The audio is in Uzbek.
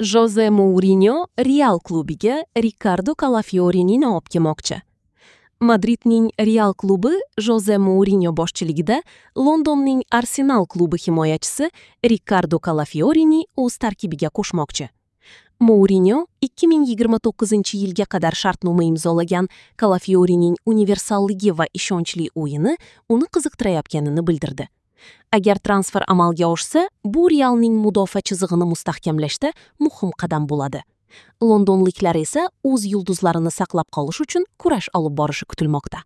Joze Mourinyo Real klubiga Rikardo Kalafiorini olib kelmoqchi. Madridning Real klubi Joze Mourinyo boshchiligida Londonning Arsenal klubi himoyachisi Rikardo Kalafiorini o'z tarkibiga qo'shmoqchi. Mourinyo 2029-yilga qadar shartnoma imzolagan Kalafiorining universalligi va ishonchli o'yini uni qiziqtirayotganini bildirdi. Agar transfer amalga oshsa, bu Realning mudofaa chizig'ini mustahkamlashda muhim qadam bo'ladi. Londonliklar esa o'z yulduzlarini saqlab qolish uchun kurash olib borishi kutilmoqda.